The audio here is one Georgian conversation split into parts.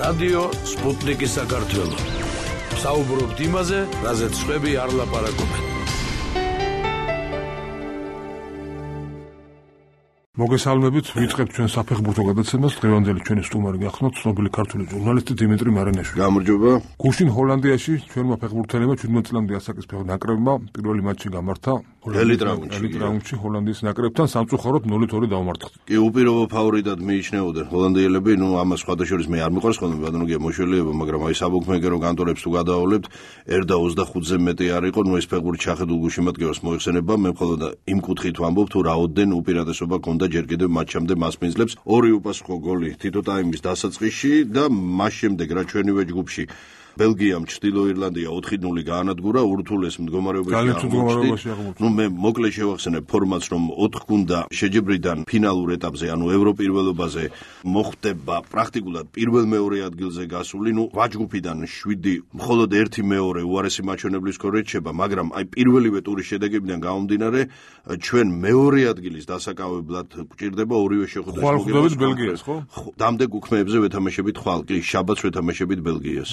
რადიო სპუტნიკი საქართველო. საუბრობთ იმაზე, რაზეც სხვები არ ლაპარაკობენ. მოგესალმებით, ვიწყებთ ჩვენ საფეხბურთო გადაცემას. დღევანდელი ჩვენი სტუმარი გახსნათ ცნობილი ქართული ჟურნალისტი დიმიტრი მარანაშვილი. გამარჯობა. გუშინ ჰოლანდიაში ჩვენმა ფეხბურთელებმა 17 წლამდე ასაკის ნაკრებმა პირველი მატჩი გამართა ელიტ რაუნდში ჰოლანდიის ნაკრებთან სამწუხაროდ 0-2 დაუმარცხდნენ. კი, უპირობო ფავორიტად მიიჩნეოდნენ ჰოლანდიელები, ამას სხვადასხვა მე არ მიყვარს ხოლმე ბატონო მოშველიება, მაგრამ აი საბუქმეკერო კანტორებს თუ გადავავლებთ, 1/25-ზე მეტი არ იყო, ეს ფეხბურთი ჩახედულ გულშემატკივრას მოიხსენება, მე მხოლოდ იმ კუთხით ვამბობ, თუ რაოდენ უპირატესობა ქონდა ჯერ კიდევ მატჩამდე მასპინძლებს, 2 უპასუხო გოლი თითო ტაიმის დასაწყისში და მას შემდეგ რა ჩვენივე ჯგუფში ბელგიამ ჩრდილო ირლანდია 4-0 გაანადგურა ურთულეს მდგომარეობაში აღმოჩნდა. მე მოკლედ შევახსენებ ფორმატს, რომ 4 გუნდა შეჯიბრიდან ფინალურ ეტაპზე, ანუ ევროპირველობაზე მოხდება პრაქტიკულად პირველ-მეორე ადგილზე გასული, ვაჯგუფიდან 7 მხოლოდ 1-2 უარესი მაჩვენებლის ქორ რჩება, მაგრამ აი პირველივე ტურის შედეგებიდან გამომდინარე, ჩვენ მეორე ადგილის დასაკავებლად გვჭირდება ორივე შეხვედრის მოგება ბელგიას, ხო? დამდეგ უქმეებზე ვეთამაშებით ხვალ, კი, შაბათს ვეთამაშებით ბელგიას.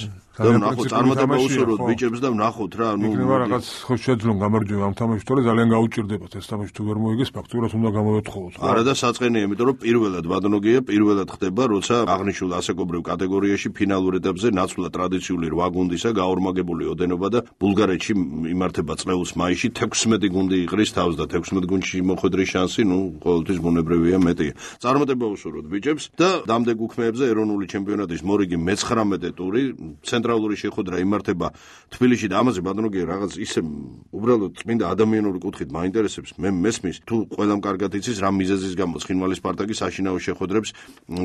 ნახოთ, წარმატება უსურვოთ ბიჭებს და ნახოთ რა, იქნება რაღაც ხო შეძლონ გამარჯვება ამ თამაშში, თორე ძალიან გაუჭირდებათ ეს თამაში თუ ვერ მოიგეს, ფაქტურად უნდა გამოვეთხოვოთ. არა და საწყენია, იმიტომ რომ პირველად ბადონოგია პირველად ხდება, როცა აღნიშნულ ასაკობრივ კატეგორიაში ფინალურ ეტაპზე ნაცვლად ტრადიციული 8 გუნდისა გაორმაგებული ოდენობა და ბულგარეთში იმართება წლეულის მაისში 16 გუნდი იყრის თავს და 16 გუნდში მოხვედრის შანსი, ყოველთვის ბუნებრივია მეტია. წარმატება უსურვოთ ბიჭებს და დამდეგ უქმეებზე ეროვნული ჩემპიონატის მორიგი მე-19 ტური ცენტრალური შეხვედრა იმართება თბილისში და ამაზე ბატონოგია რაღაც ისე უბრალოდ წმინდა ადამიანური კუთხით მაინტერესებს, მე მესმის თუ ყველამ კარგად იცის რა მიზეზის გამო ცხინვალის სპარტაკი საშინაო შეხვედრებს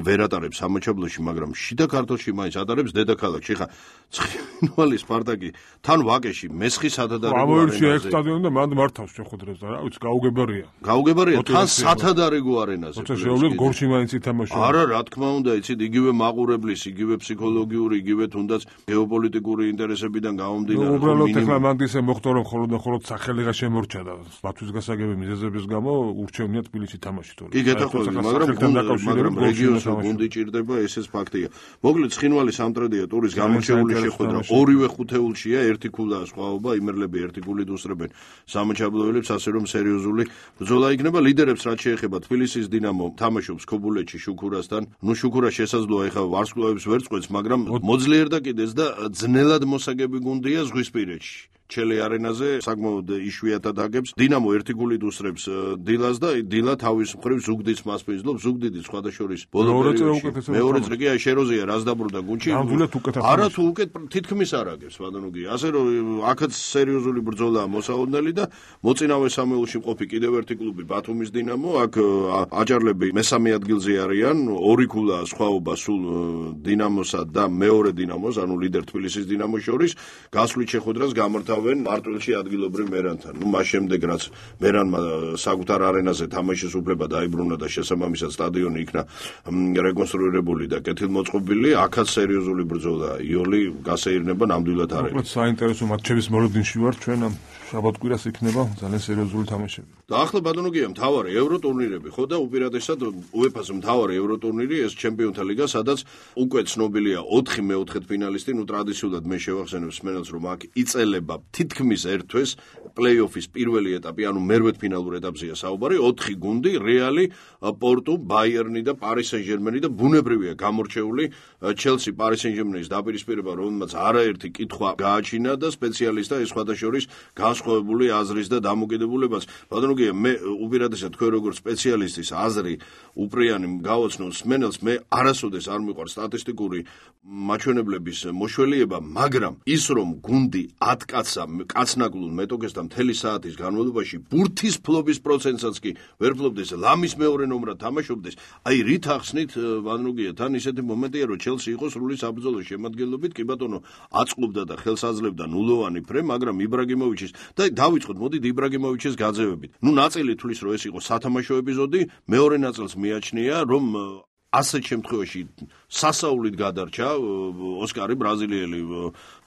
ვერ ატარებს სამაჩაბლოში, მაგრამ შიდა ქართლში მაინც ატარებს დედაქალაქში. ხა ცხინვალის სპარტაკი თან ვაკეში მესხი სათადარიგო ამოერჩია ერთ სტადიონი და მანდ მართავს შეხვედრებს და რა ვიცი გაუგებარია თან სათადარიგო არენაზე. როცა შეუძლებს გორში მაინც ითამაშო. არა, რა თქმა უნდა, იცით, იგივე მაყურებლის, იგივე ფსიქოლოგიური, იგივე თუნდაც გეოპოლიტიკური ინტერესებიდან გამომდინარე. უბრალოდ ეხლა მანდ ისე მოხდა, რომ მხოლოდ სახელიღა შემორჩა და ბათუმის გასაგები მიზეზების გამო ურჩევნია თბილისში თამაში თორე. კი, გეტყვი, მაგრამ რეგიონს გუნდი ჭირდება, ესეც ფაქტია. მოკლედ ცხინვალი სამტრედია ტურის გამორჩეული შეხვედრა, ორივე ხუთეულშია, ერთი ქულაა სხვაობა, იმერლები ერთი ქულით უსწრებენ სამაჩაბლოელებს, ასე რომ სერიოზული ბრძოლა იქნება. ლიდერებს რაც შეეხება თბილისის დინამო თამაშობს ქობულეთში შუქურასთან. შუქურა შესაძლოა ეხლა ვარსკვლავებს ვერ წყვეტს, მაგრამ მოძლიერდა კიდეც და ძნელად მოსაგები გუნდია ზღვისპირეთში. ჩელე არენაზე საკმაოდ იშვიათად აგებს. დინამო ერთი გულით უსწრებს დილას და დილა თავის მხრივ ზუგდიდს მასპინძლობს. ზუგდიდი სხვადასხვა ბოლო პერიოდში მეორე წრე კი შეროზია რას დაბრუნდა გუნდში. არა თუ უკეთ თითქმის არ აგებს ბატონოგი. ასე რომ აქაც სერიოზული ბრძოლაა მოსაოდნელი და მოწინავე სამეულში მყოფი კიდევ ერთი კლუბი ბათუმის დინამო. აქ აჭარლები მესამე ადგილზე არიან, 2 ქულაა სხვაობა სულ დინამოსა და მეორე დინამოს, ანუ ლიდერ თბილისის დინამოს შორის. გასვლით შეხვედრას გამართავენ მარტვილში ადგილობრივ მერანთან. მას შემდეგ რაც მერანმა საკუთარ არენაზე თამაშის უფლება დაიბრუნა და შესაბამისად სტადიონი იქნა რეკონსტრუირებული და კეთილმოწყობილი, აქაც სერიოზული ბრძოლა იოლი გასეირნება ნამდვილად არ არის. საინტერესო მატჩების მოლოდინში ვარ ჩვენ ამ შაბათ-კვირას იქნება ძალიან სერიოზული თამაშები. და ახლა ბატონოგია მთავარი ევროტურნირები, ხო და უპირატესად UEFA-ს მთავარი ევროტურნირი ეს ჩემპიონთა ლიგა, სადაც უკვე ცნობილია 4 მეოთხედფინალისტი, ტრადიციულად მე შევახსენებ მსმენელს, რომ აქ იწელება თითქმის ერთ თვეს პლეი-ოფის პირველი ეტაპი, ანუ მერვედფინალურ ეტაპზეა საუბარი, 4 გუნდი, რეალი, პორტუ, ბაიერნი და პარი სენ-ჟერმენი და ბუნებრივია გამორჩეული ჩელსი, პარი სენ-ჟერმენის დაპირისპირება, რომელმაც არაერთი კითხვა გააჩინა და სპეციალისტა ეს სხვადასხვა განსხვავებული აზრის და დამოკიდებულებას. ბატონოგია, მე უპირატესად თქვენ როგორც სპეციალისტის აზრი უპრიანი გავაცნო მსმენელს, მე არასოდეს არ მიყვარს სტატისტიკური მაჩვენებლების მოშველიება, მაგრამ ის რომ გუნდი 10 კაცნაკლულ მეტოქესთან მთელი საათის განმავლობაში ბურთის ფლობის პროცენტსაც კი ვერ ფლობდეს, ლამის მეორე ნომრად თამაშობდეს. აი რით ახსნით ბატონოგია, თან ისეთი მომენტია, რომ ჩელსი იყო სრული საბრძოლო შემადგენლობით, კი ბატონო, აწყობდა და ხელს აძლევდა ნულოვანი ფრე, მაგრამ იბრაგიმოვიჩის და დავიწყოთ, მოდით იბრაგიმოვიჩის გაძევებით. ნაწილი თulis რომ ეს იყო სათამაშო ეპიზოდი, მეორე ნაწილს მიაჩნია, რომ ასეთ შემთხვევაში სასაულით გადარჩა ოსკარი ბრაზილიელი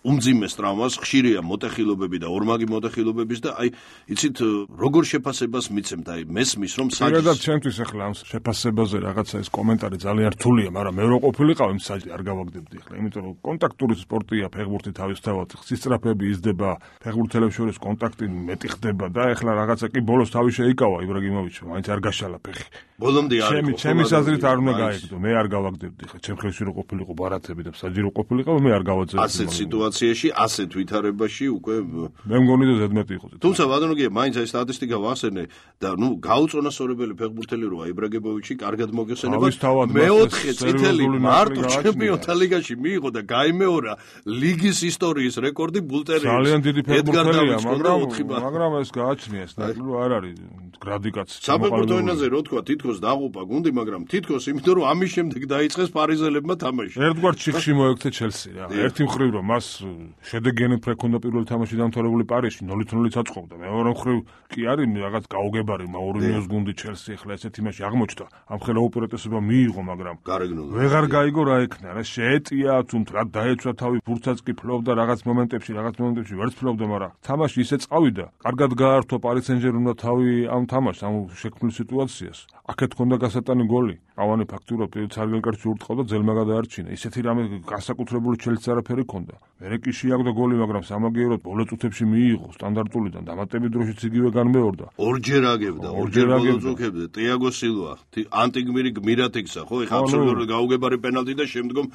უმძიმეს ტრავმას, ხშირია მოტეხილობები და ორმაგი მოტეხილობების და აი იცით როგორ შეფასებას მიცემთ აი მესმის რომ საერთოდ ჩემთვის ახლა ამ შეფასებაზე რაღაცა ეს კომენტარი ძალიან რთულია, მაგრამ მე რო ყოფილიყავ იმ საჭი არ გავაგდებდი ახლა, იმიტომ რომ კონტაქტური სპორტია, ფეხბურთი თავისთავად სისწრაფეები იზრდება, ფეხბურთელებს შორის კონტაქტი მეტი ხდება და ახლა რაღაცა კი ბოლოს თავი შეიკავა იბრაგიმოვიჩმა, მაინც არ გაშალა ფეხი. ბოლომდე არ იყო. ჩემი აზრით არ უნდა გაიგდო, მე არ გავაგდებდი ხა, ჩემ ხელში რო ყოფილიყო ბარათები და საჯირო ყოფილიყავ, მე არ გავაძებდი. ასეთ სიტუაციაში, ასეთ ვითარებაში უკვე მე მგონი და ზედმეტი იყო. თუმცა ბატონო, მაინც აი სტატისტიკა ვახსენე და ნუ გაუწონასწორებელი ფეხბურთელი როა იბრაგიმოვიჩი, კარგად მოგეხსენება. მეოთხე წითელი მარტო ჩემპიონთა ლიგაში მიიღო და გაიმეორა ლიგის ისტორიის რეკორდი ბულტერეის. ძალიან დიდი ფეხბურთელია, მაგრამ ეს გააჩნია, ეს ნაკლი არ არის გრადიკაც. საფეხბურთო ენაზე რო თქვა, თითქოს დაღუპა გუნდი, მაგრამ თითქოს იმიტომ რომ ამის შემდეგ დაიწყეს პარიზელებმა თამაში. ერთგვარ ჩიხში მოექცე ჩელსი რა. ერთი მხრივ რომ მას შედეგიანი ფრექონდა პირველი თამაში დამთავრებული პარიზში 0-0 აწყობდა. მეორე მხრივ კი არის რაღაც გაუგებარი მაურინიოს გუნდი ჩელსი ახლა ესეთ იმაში აღმოჩნდა. ამ ხელა უპირატესობა მიიღო, მაგრამ ვეღარ გაიგო რა ექნა რა შეეტია თუმცა რა დაეცვა თავი ფურცაც კი ფლობდა რაღაც მომენტებში ვერც ფლობდა, მაგრამ თამაში ისე წავიდა. კარგად გაართვა პარი სენ-ჟერმენმა თავი ამ თამაშს, ამ შექმნილ სიტუაციას. აქეთ ჰქონდა გასატანი გოლი. ავანი ფაქტურად ცარგელ კარტში ურტყავდა, ძელმა გადაარჩინა. ისეთი რამე განსაკუთრებული ჩელსის არაფერი ჰქონდა. მერე კი შეაგდო გოლი, მაგრამ სამაგიეროდ ბოლო წუთებში მიიღო სტანდარტულიდან. დამატებით დროშიც იგივე განმეორდა. ორჯერ აგებდა, ორჯერ ბოლო წუთებზე. ტიაგო სილვა, ანტიგმირი გმირად იქცა, ხო? ეხლა აბსოლუტურად გაუგებარი პენალტი და შემდგომ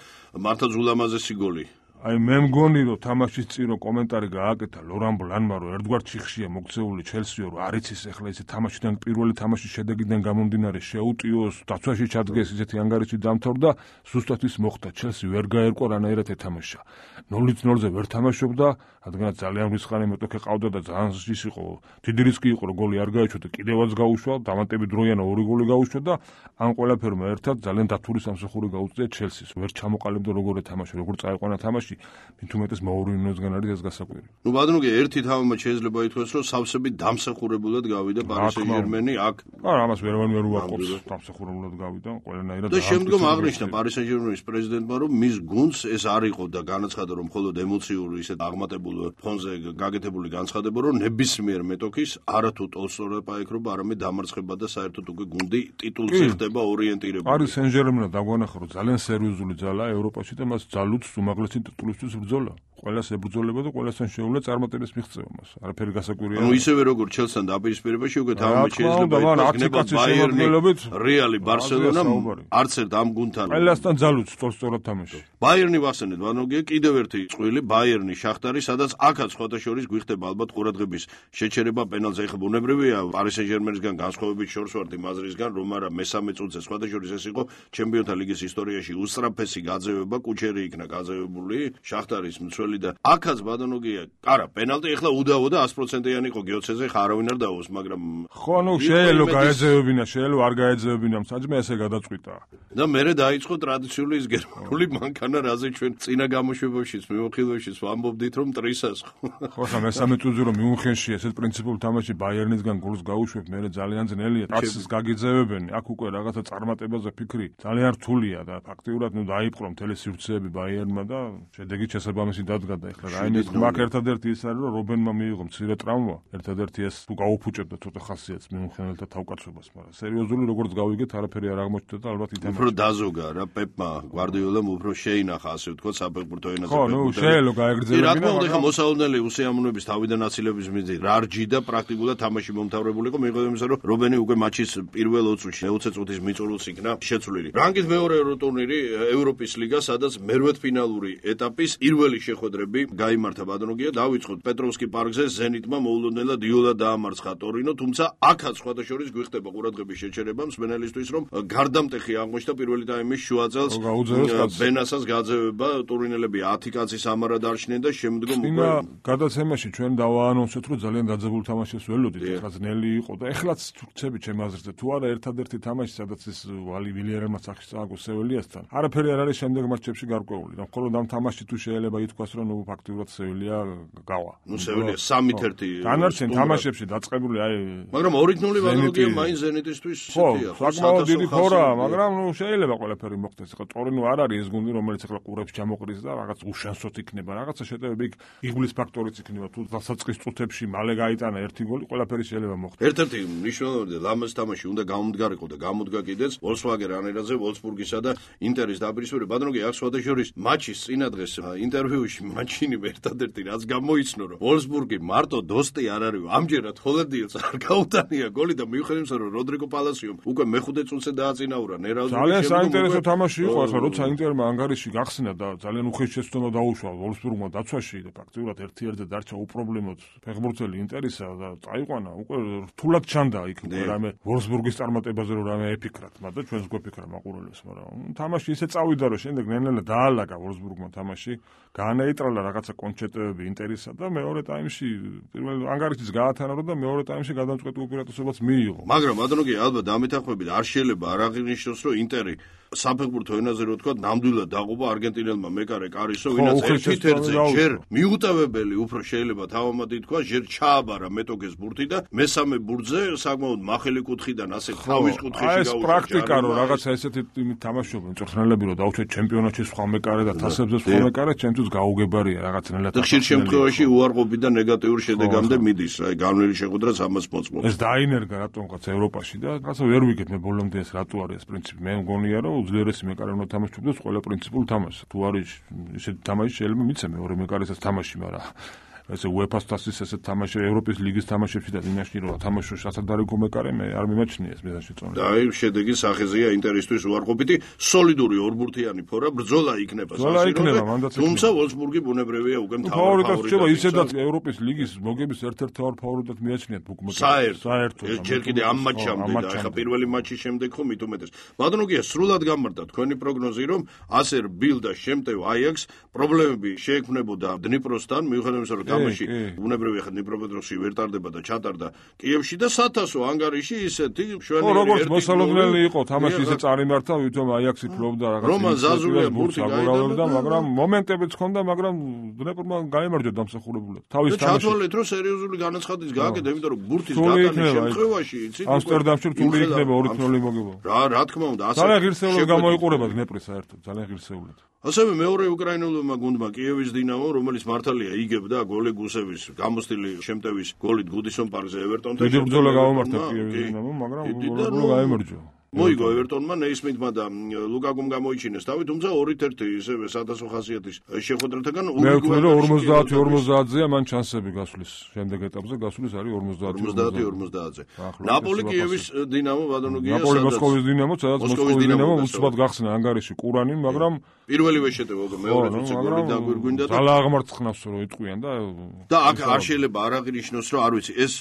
მართლაც ულამაზესი გოლი. აი მე მგონი რომ თამაშის წინ კომენტარი გააკეთა ლორან ბლანმა რომ ერთგვარ ჩიხშია მოქცეული ჩელსიო რომ არ იცის ახლა ისე თამაშიდან პირველი თამაშის შედეგიდან გამომდინარე შეუტიოს დაცვაში ჩადგეს ისეთი ანგარიში დამთავრდა ზუსტად ის მოხდა ჩელსი ვერ გაერკვა რანაირად ეთამაშა 0-0-ზე ვერ თამაშობდა რადგანაც ძალიან რისხანი მეტოქე ყავდა და ძალიან ის იყო დიდი რისკი იყო რომ გოლი არ გაეჩვა და კიდევაც გაუშვა დამატებით დროიანა ორი გოლი გაუშვა და ამ ყველაფერმა ერთად ძალიან დათური სამსახური გაუწია ჩელსის ვერ ჩამოყალიბდა როგორ ეთამაშა როგორ წაიყვანა თამაში მით უმეტეს მაურინიოსგან არის ეს გასაკვირი. ნუ ბატონო, ერთი თამამად შეიძლება ითქვას, რომ სავსები დამსახურებულად გავიდა პარი სენ-ჟერმენი აქ. არა, ამას ვერ უარყოფს, დამსახურებულად გავიდა ყველანაირად. და შემდგომ აღნიშნა პარი სენ-ჟერმენის პრეზიდენტმა, რომ მის გუნდს ეს არ იყო და განაცხადა, რომ მხოლოდ ემოციური ისეთ აღმატებულ ფონზე გაკეთებული განცხადება, რომ ნებისმიერ მეტოქის არათუ ტოლსტოი პაექრობა, არამედ დამარცხება და საერთოდ უკვე გუნდი ტიტულზე ხდება ორიენტირებული. პარი სენ-ჟერმენა დაგვანახა, რომ ძალიან სერიოზული ძალაა ევროპაში და მას ძალუც უმაღლესი ტიტულისთვის ბრძოლა. ყველას ებრძოლება და ყველასთან შეუძლია წარმატებას მიღწევა მას. არაფერი გასაკვირია. ანუ ისევე როგორც ჩელსთან დაპირისპირებაში უკვე თამაში შეიძლება იქნება ბაიერნი, რეალი, ბარსელონა, არც ერთ ამ გუნდთან. ყველასთან ძალუც სწორად თამაში. ბაიერნი ვახსენეთ, ვანოგია კიდევ ერთი წყვილი, ბაიერნი, შახტარი, სადაც აქაც სხვათა შორის გვიხდება ალბათ ყურადღების შეჩერება პენალტზე. ეხლა ბუნებრივია პარი სენ-ჟერმენისგან განსხვავებით შორს ვართ იმ აზრისგან, რომ არა მესამე წუთზე სხვათა შორის ეს იყო ჩემპიონთა ლიგის ისტორიაში უსწრაფესი გაძევება, კუჩერი იქნა გაძევებული, შახტარის მცველი და აქაც ბატონოგია, არა, პენალტი ეხლა უდავო და 100%-იანი იყო გიოცეზე, ხა არავინ არ დაუოს, მაგრამ ხო, ნუ შეიძლება გაეძევებინა, შეიძლება არ გაეძევებინა, საჭმე ესე გადაწყვიტა. და მერე დაიწყო ტრადიციული ის გერმანული მანქანა, რაზე ჩვენ წინა გამოშვებაშიც, მიმოხილვაშიც ვამბობდით, რომ ტრისას ხო. ხო, ხა მესამე წუთზე რომ მიუნხენში ესეთ პრინციპულ თამაში ბაიერნისგან გოლს გაუშვებ, მერე ძალიან ძნელია, ტაცს გაგიძევებენ, აქ უკვე რაღაცა წარმატებაზე ფიქრი ძალიან რთულია და ფაქტიურად ნუ დაიპყრო მთელი სივრცეები ბაიერნმა და შედეგი შესაბამისი გადაგდა ეხლა რაიმეს მაგ ერთადერთი ის არის რომ რობენმა მიიღო მცირე ტრავმა ერთადერთი ეს თუ გაუფუჭებდა ცოტა ხასიათს მიუნხენელთა თავკაცობას მაგრამ სერიოზული როგორც გავიგეთ არაფერი არ აღმოჩნდა და ალბათ ითამაშა უფრო დაზოგა რა პეპმა გვარდიოლამ უფრო შეინახა ასე ვთქვათ საფეხბურთო ენაზე ხო ნუ შეიძლება გაეგრძელებინა რა თქმა უნდა ეხლა მოსაოდნელი უსიამოვნების თავიდან აცილების მიზეზი რარჯი და პრაქტიკულად თამაში მომთავრებული იყო მიუხედავად იმისა რომ რობენი უკვე მატჩის პირველ 20 წუთში 20 წუთის მიწურულს იქნა შეცვლილი რანგით მეორე ტურნირი ევროპის ლიგა სადაც მერვედფინალური ეტაპის პირველი შეხვედრები გაიმართა ბატონოგია დავიწყოთ პეტროვსკი პარკზე ზენიტმა მოულოდნელად იოლა დაამარცხა ტორინო თუმცა აქაც სხვათა შორის გვიხდება ყურადღების შეჩერება მსმენელისთვის რომ გარდამტეხი აღმოჩნდა პირველი ტაიმის შუა წელს ბენასას გაძევება ტურინელები 10 კაცის ამარა დარჩნენ და შემდგომ უკვე გადაცემაში ჩვენ დავაანონსეთ რომ ძალიან დაძაბულ თამაშს ველოდით ეხლა ძნელი იყო და ეხლაც თურქები ჩემ აზრზე თუ არა ერთადერთი თამაში სადაც ეს ვალი ვილიერემაც სახის წააგო სევილიასთან არაფერი არ არის შემდეგ მატჩებში გარკვეული და მხოლოდ ამ თამაში თუ შეიძლება ითქვას იმას, რომ ფაქტიურად სევილია გავა. სევილია 3-1 დანარჩენ თამაშებში დაწყებული მაგრამ 2-0 ვადროგია მაინც ზენიტისთვის ისეთია. საკმაოდ დიდი ფორა, მაგრამ შეიძლება ყველაფერი მოხდეს. ხო, ტორინო არ არის ეს გუნდი, რომელიც ახლა ყურებს ჩამოყრის და რაღაც უშანსოთ იქნება. რაღაცა შეტევები იღბლის ფაქტორიც იქნება. თუ დასაწყის წუთებში მალე გაიტანა ერთი გოლი, ყველაფერი შეიძლება მოხდეს. ერთ-ერთი მნიშვნელოვანი ლამაზ თამაში უნდა გამომდგარიყო და გამოდგა კიდეც Volkswagen Arena-ზე Wolfsburg-ისა და Inter-ის დაპირისპირება. ბადროგი აქ სხვადასხვა მატჩის წინა დღეს ინტერვიუში მანჩინი ერთადერთი რაც გამოიცნო, რომ Wolfsburg-ი მარტო დოსტი არ არის, ამჯერად ჰოლანდიელს არ გაუტანია გოლი და მიუხედავად იმისა, რომ როდრიგო პალასიომ უკვე მეხუთე წუთზე დააწინაურა ნერაუზის ძალიან საინტერესო თამაში იყო ახლა, როცა ინტერმა ანგარიში გახსნა და ძალიან უხეში შეცდომა დაუშვა Wolfsburg-მა დაცვაში და ფაქტიურად 1-1-ზე დარჩა უპრობლემოდ ფეხბურთელი ინტერისა და წაიყვანა, უკვე რთულად ჩანდა იქ რამე Wolfsburg-ის წარმატებაზე რომ რამე ეფიქრათ, მაგრამ ჩვენს გვეფიქრა მაყურებელს, მაგრამ თამაში ისე წავიდა რომ შემდეგ ნელ-ნელა დაალაგა Wolfsburg-მა თამაში, გაანეიტრალა რაღაცა კონჩეტები ინტერისა და მეორე ტაიმში პირველ ანგარიშიც გაათანაბრა და მეორე ტაიმში გადამწყვეტ უპირატესობას მიიღო. მაგრამ ბატონო ალბათ დამეთანხმებით არ შეიძლება არ აღინიშნოს რომ ინტერი საფეხბურთო ენაზე რო თქვა ნამდვილად დაყובה არგენტინელმა მეკარე კარისო ვინაც 1-1-ზე ჯერ მიუტევებელი უფრო შეიძლება თავამად ითქვა ჯერ ჩააბარა მეტოგეს ბურთი და მესამე ბურთზე საკმაოდ მახელი კუთხიდან ასე თავის კუთხეში გაუჩა. ეს პრაქტიკა რო რაღაცა ესეთი თამაშობენ მწვრთნელები რო დაუჩათ ჩემპიონატში სხვა მეკარე და თასებზე სხვა მეკარე ჩემთვის გაუგებარია რაღაცნაირად. ხშირ შემთხვევაში უარყოფი და ნეგატიურ შედეგამდე მიდის აი განვლილი შეხვედრაც ამას მოწმობს. ეს დაინერგა რატომღაც ევროპაში და რაღაცა ვერ ვიგებ მე ბოლომდე ეს რატო არის ეს პრინციპი. მე მგონია რომ უძლიერესი მეკარე უნდა თამაშობდეს ყველა პრინციპულ თამაშს. თუ არის ისეთი თამაში შეიძლება მიცე მეორე მეკარესაც თამაში, მაგრამ ესე UEFA-ს თასის ესე თამაში ევროპის ლიგის თამაშებში და დინაში რომ თამაშო სასადარიგო მეკარე მე არ მიმაჩნია ეს მიზანში წონა. და აი შედეგი სახეზეა ინტერისთვის უარყოფითი სოლიდური ორბურთიანი ფორა ბრძოლა იქნება სასირო. თუმცა Wolfsburg-ი ბუნებრივია უკვე ფავორიტად შევა ისედაც ევროპის ლიგის მოგების ერთ-ერთ ფავორიტად მიაჩნიათ ბუკმეკერები. საერთოდ ჯერ კიდე ამ მატჩამდე და ახლა პირველი მატჩის შემდეგ ხომ მით უმეტეს. ბატონოგია სრულად გამართა თქვენი პროგნოზი რომ ასერ ბილ და შემტევ აიაქსს პრობლემები შეექმნებოდა დნიპროსთან მიუხედავად იმისა რომ თამაში ბუნებრივია ხა დნიპროპეტროვსკი ვერ ტარდება და ჩატარდა კიევში და სათასო ანგარიში ისეთი შვენიერი როგორც მოსალოდნელი იყო თამაში ისე წარიმართა ვითომ აიაქსი ფლობდა რაღაც რომან ზაზულია ბურთი გაიგებდა მაგრამ მომენტებიც ჰქონდა მაგრამ დნეპრმა გაიმარჯვა დამსახურებულად თავის თამაში ჩათვალეთ რომ სერიოზული განაცხადის გააკეთა იმიტომ რომ ბურთის გატანის შემთხვევაში იცით ამსტერდამში რთული იქნება 2-0 მოგება რა თქმა უნდა ასე ძალიან ღირსეულად გამოიყურება დნეპრი საერთოდ ძალიან ღირსეულად ასევე მეორე უკრაინულმა გუნდმა კიევის დინამო რომელიც მართალია იგებდა გოლი გუსევის გამოსტილი შემტევის გოლით გუდისონ პარკზე ევერტონთან დიდი ბრძოლა გამომართა კიევის დინამო მაგრამ გოლი გაიმარჯვა მოიგო ევერტონმა ნეისმითმა და ლუკაკუმ გამოიჩინეს თავი თუმცა 2-1 ისევე სადასო ხასიათის შეხვედრათაგან მე ვთქვი რომ 50-50-ზეა მან ჩანსები გასulis შემდეგ ეტაპზე გასulis არის 50-50-ზე ნაპოლი კიევის დინამო ბადონოგია ნაპოლი მოსკოვის დინამო სადაც მოსკოვის დინამო უცბად გახსნა ანგარიში ყურანი მაგრამ პირველივე შეტევა მეორე წუთზე გოლი დაგვირგვინდა და ძალა აღმარცხნავს რომ იტყვიან და აქ არ შეიძლება არ აღინიშნოს რომ არ ვიცი ეს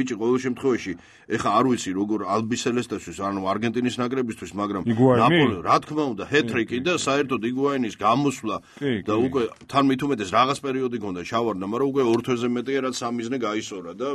ბიჭი ყოველ შემთხვევაში ეხა არ ვიცი როგორ ალბისელესტასთვის ანუ არგენტინის ნაკრებისთვის მაგრამ ნაპოლი რა თქმა უნდა ჰეტრიკი და საერთოდ იგუაინის გამოსვლა და უკვე თან მით უმეტეს რაღაც პერიოდი გონდა შავარდა მაგრამ უკვე 2 თვეზე მეტია რაც სამიზნე გაისორა და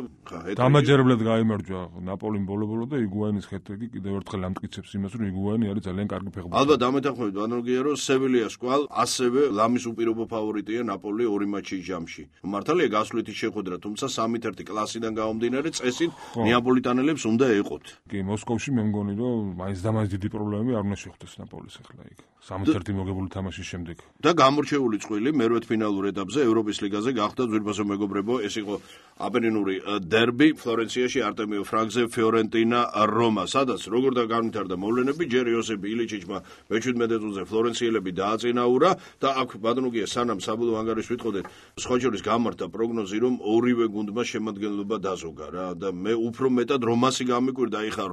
დამაჯერებლად გაიმარჯვა ნაპოლიმ ბოლო-ბოლო და იგუაინის ჰეტრიკი კიდევ ერთხელ ამტკიცებს იმას რომ იგუაინი არის ძალიან კარგი ფეხბურთელი ალბათ დამეთანხმებით ბანოგია რომ სევილიას კვალ ასევე ლამის უპირობო ფავორიტია ნაპოლი ორი მატჩის ჯამში მართალია გასვლითი შეხვედრა თუმცა 3-1 კლასიდან გამომდინარე წესით ნეაპოლიტანელებს უნდა ეყოთ კი მოსკოვში მე მგონი რომ მაინც და მაინც დიდი პრობლემები არ უნდა შეხვდეს ნაპოლის ახლა იქ 3-1 მოგებული თამაშის შემდეგ და გამორჩეული წყვილი მერვედფინალურ ეტაპზე ევროპის ლიგაზე გახდა ძვირფასო მეგობრებო ეს იყო აპენინური დერბი ფლორენციაში არტემიო ფრანკზე ფიორენტინა რომა სადაც როგორ და განვითარდა მოვლენები ჯერ იოსებ ილიჩიჩმა მე-17 წუთზე ფლორენციელები დააწინაურა და აქ ბადონოგია სანამ საბოლოო ანგარიშს ვიტყოდეთ სხვა შორის გამართა პროგნოზი რომ ორივე გუნდმა შემადგენლობა დაზოგა რა და მე უფრო მეტად რომასი გამიკვირდა ეხა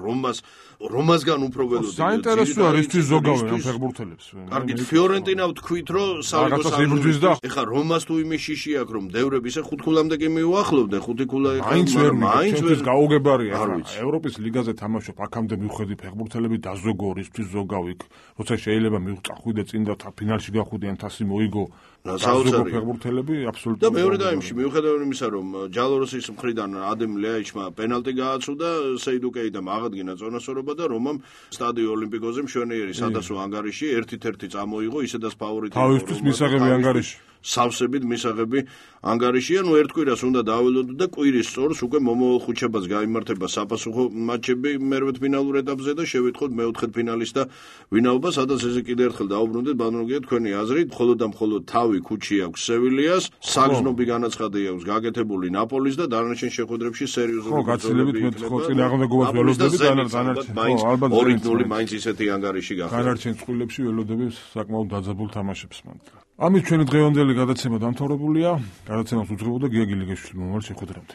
რომასგან უფრო ველოდი საინტერესოა რისთვის ზოგავენ ამ ფეხბურთელებს კარგით ფიორენტინა ვთქვით რომ სალიკოს ეხა რომას თუ იმის შიში აქვს რომ დევრები ისე 5 ქულამდე კი მიუახლოვდნენ 5 ქულა მაინც ვერ გაუგებარია ევროპის ლიგაზე თამაშობ აქამდე მივხვდი ფეხბურთელები დაზოგო რისთვის ზოგავიქ როცა შეიძლება მივწახვიდე წინ და ფინალში გახვიდიან თასი მოიგო საოცარი ფეხბურთელები აბსოლუტურად და მეორე დაიმში მიუხედავად იმისა რომ ჯალოროსის მხრიდან ადემ ლეაიჩმა პენალტი გააცუდა სეიდუ კეიტამ აღადგინა წონასწორობა და რომამ სტადიო ოლიმპიკოზე მშვენიერი სადასო ანგარიში 1-1 წამოიღო ისედაც ფავორიტი თავისთვის მისაღები ანგარიში სავსებით მისაღები ანგარიშია. ნუ ერთ კვირას უნდა დააველოდოთ და კვირის სწორს უკვე მომავალ ხუთშაბათს გაიმართება საფასუხო მატჩები მერვედფინალურ ეტაპზე და შევიტყოთ მეოთხედფინალის და ვინაობა, სადაც ესე კიდე ერთხელ დაუბრუნდეთ ბანურგია თქვენი აზრით, მხოლოდ და მხოლოდ თავი ქუჩი აქვს სევილიას, საგზნობი განაცხადი აქვს გაკეთებული ნაპოლის და დანარჩენ შეხვედრებში სერიოზული გაცილებით მე ხო წინააღმდეგობას ველოდები ალბათ 2-0 მაინც ისეთი ანგარიში გახდა. დანარჩენ წყვილებში ველოდები საკმაოდ დაძაბულ თამაშებს მანდ. ამით ჩვენი დღევანდელი გადაცემა დამთავრებულია. გადაცემას უძღვებოდა გიაგი ლიგაშვილი მომავალ შეხვედრამდე.